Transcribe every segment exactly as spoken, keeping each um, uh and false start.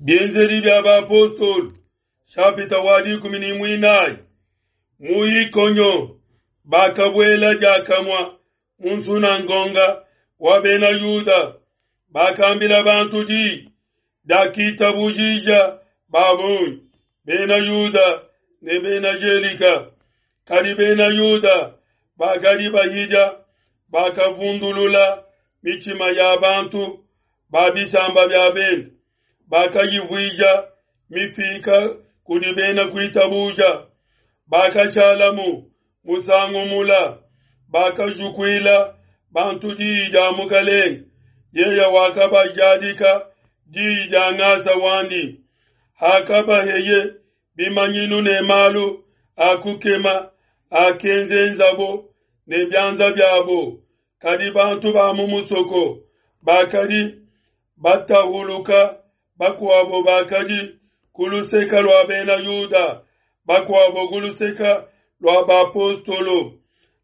Bienzedi bia Bapostolo, nshapita wa dikumi ne muinayi. Mu Ikonio bakabuela diakamue mu nsunangonga wa bena Yuda, bakambila bantu diyi diakitabujija ba bungi, bena Yuda ne bena Gelika. Kadi bena Yuda bakadi bahidia, bakavundulula mitshima ya bantu ba bisamba bia bende, bakayivuija mifika kudi bena kuitabuja. Bakashalamu musangu mula, bakajukuila bantu diyi dia Mukalenge, yeye wakabajadika diyi dia ngasa wandi. Hakabaheye bimanyinu ne malu a kukema akenzenzabo ne bianza biabo. Kadi bantu ba mu musoko bakadi batahuluka, bakuabo bakadi ku luseke lua bena Yuda, bakuabo ku luseke lua bapostolo.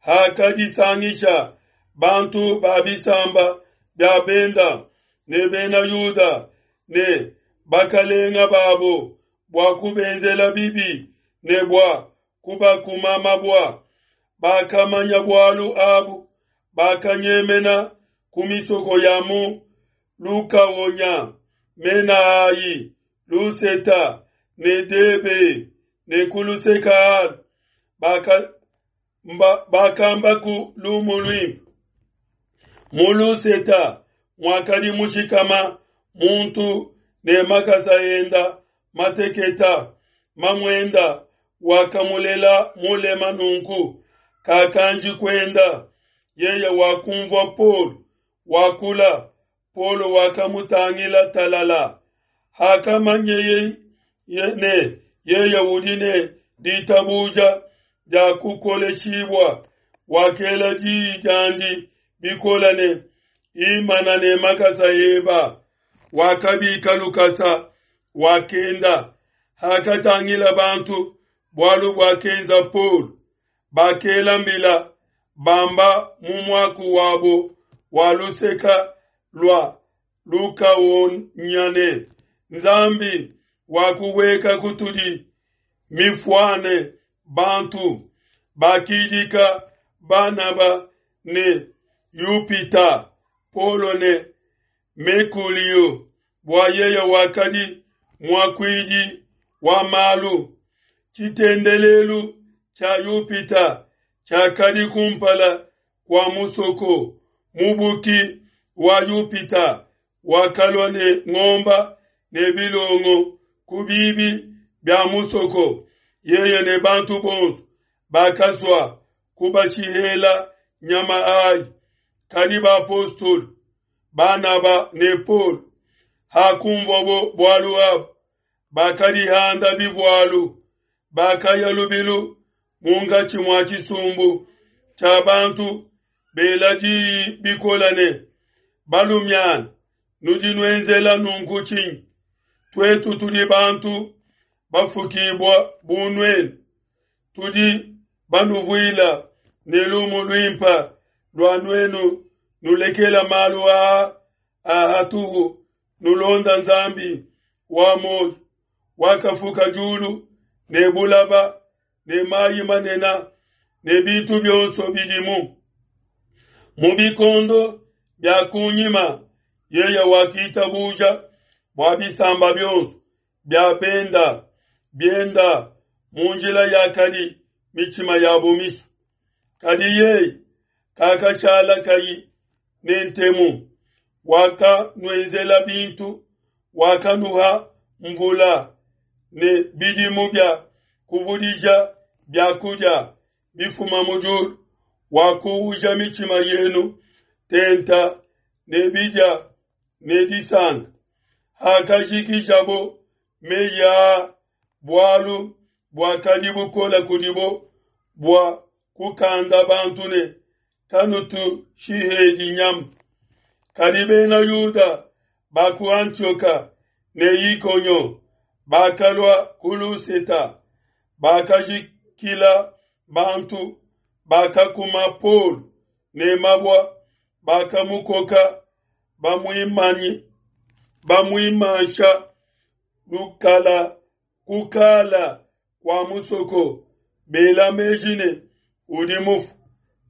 Hakadisangisha bantu ba bisamba bia benda ne bena Yuda ne bakalenga babo bua kubenzela bibi ne bua kubakuma mabua, bakamanya bualu abu, bakanyemena ku misoko ya mu Lukaonya, mena ayi Luseta ne Debe ne ku luseke alu baka bakamba ku lumu luimpe. Mu Luseta muakadi mushikama muntu ne makasa enda mateketa, mamuenda wakamulela mulema nunku kakanji kuenda. Yeye wakumvua Paulo wakula, Paulo wakamutangila talala. Hakamanyeye ne yeye udi ne ditabuja dia kukoleshibua, wakela diyi diandi bikola ne, imana ne makasa eba. Wakabika lukasa, wakenda. Hakatangila bantu bualu buakenza Paulo, bakela mbila bamba mu muaku wabo wa luseka lua Lukaonya ne, Nzambi wakuweka kutudi mifuane bantu. Bakidika Banaba ne Yupita, Paulo ne Mekulio, bua yeye wakadi muakuidi wa malu. Tshitendelelu tshia Yupita tshiakadi kumpala kua musoko. Mubuki wa Yupita wakalua ne ngomba ne bilongo ku bibi bia musoko. Yeye ne bantu bonso bakasua kubashihela nyama ayi. Kadi bapostolo Banaba ne Paulo hakumvuabo bualu abu, bakadihanda bivualu, bakaya lubilu munkatshi mua tshisumbu tshia bantu, bela diyi bikola ne, balumiana, nudi nuenzela nunku tshinyi? Tuetu tudi bantu bafukibua bu nuenu, tudi banuvuila ne lumu luimpe lua nuenu nulekela malu aa a hatuhu, nulonda Nzambi wa muoyo, wakafuka diulu ne bulaba ne mayi manene ne bintu bionso bidimu. Mu bikondo bia kunyima yeye wakitabuja bua bisamba bionso bia benda bienda mu njila yakadi mitshima yabo misu. Kadi yeye kakashala kayi ne ntemu, wakanuenzela bintu, wakanuha mvula ne bidimu bia kuvudija biakudia bifuma mu diulu, wakuuja mitshima yenu tenta ne bidia ne disanka. Hakajikijabo meyi aa, bualu buakadi bukola kudibo bua kukanda bantu ne, kanutushihedi nyama. Kadi bena Yuda ba ku Antioka ne Ikonio bakalua ku Luseta, bakajikila bantu, bakakuma Paulo ne mabua, bakamukoka bamuimanyi bamuimansha lukala kukala kua musoko, bela meji ne udi mufu.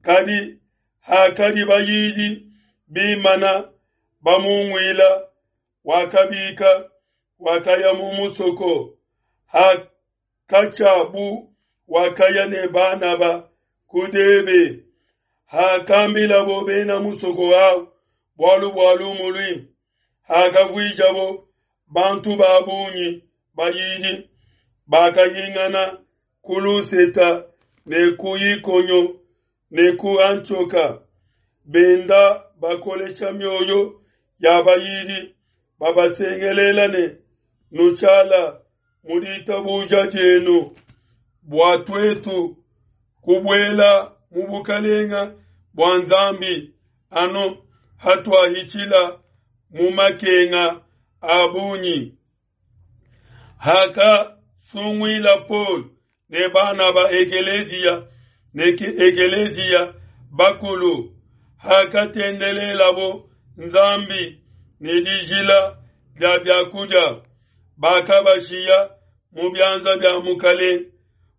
Kadi hakadi bayidi bimana bamunguila, wakabika, wakaya mu musoko. Hakatshiabu wakaya ne Banaba ku Debe. Hakambilabo bena musoko awu bualu bua lumu luimpe, hakavuijabo bantu ba bungi bayidi, bakahingana ku Luseta ne ku Ikonio ne ku Antioka, benda bakolesha mioyo ya bayidi, babasengelela ne, Nushala mu ditabuja dienu bua tuetu kubuela mu bukalenga bua Nzambi anu hatuahitshila mu makenga a bungi. Hakasunguila Paul ne Banaba ekeleziya ne ekeleziya bakulu, hakatendelelabo Nzambi ne dijila dia biakudia, bakabashiya mu bianza bia Mukalenge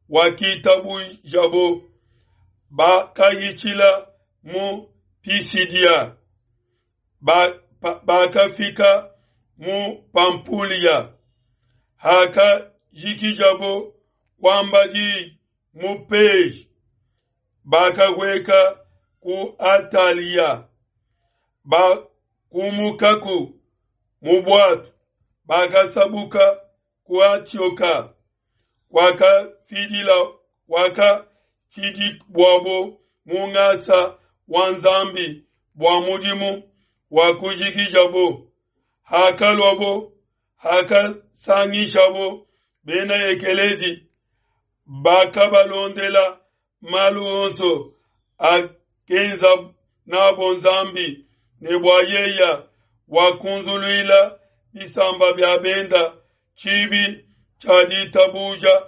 wakitabujabo. Bakahitshila mu Pisidia, bakafika mu Pampulia. Hakajikijabo kuamba di mu Peji, bakahueka ku Atalia. Bakumukaku mu bwatu, bakasabuka ku Antioka, kwakafidila kwakafidibwabo mu ngasa wa Nzambi bua mudimu wa kujikijabo. Hakaluabo, hakasangishabo bena ekelezi, bakabalondela malu onso akenza nabo Nzambi ne bua yeya wakunzuluila bisamba bia benda tshibi tshia ditabuja.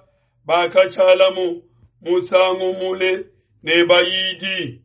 Bakashalamu musangu mule ne bayidi.